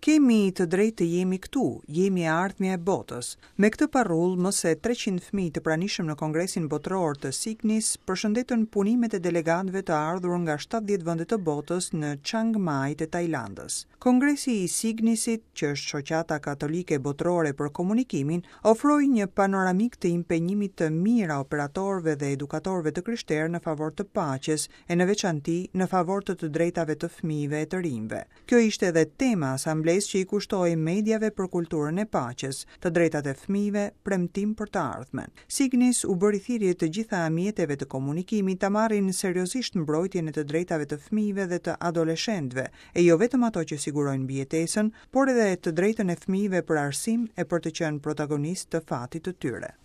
Kemi të drejtë të jemi këtu, jemi e ardhmja e botës. Me këtë parullë, më se 300 fëmijë të pranishëm në Kongresin Botëror të Signis përshëndetën punimet e delegatëve të ardhur nga 70 vende të botës në Chiang Mai të Tajlandës. Kongresi i Signisit, që është shoqata katolike botërore për komunikimin, ofroi një panoramikë të impenjimit të mijëra operatorëve dhe edukatorëve të krishterë në favor të paqes e në veçanti në favor të të drejtave të fëmijëve e të rinjve. Kjo ishte edhe tema e asamblesë që i kushtohej mediave për kulturën e paqes, të drejtat e fëmijëve, premtim për të ardhmen. Signis u bëri thirrje të gjitha mjeteve të komunikimit ta marrin seriozisht mbrojtjen e të drejtave të fëmijëve dhe të adoleshentëve, e jo vetëm ato që sigurojnë mbijetesën, por edhe të drejtën e fëmijëve për arsim e për të qenë protagonistë të fatit të tyre.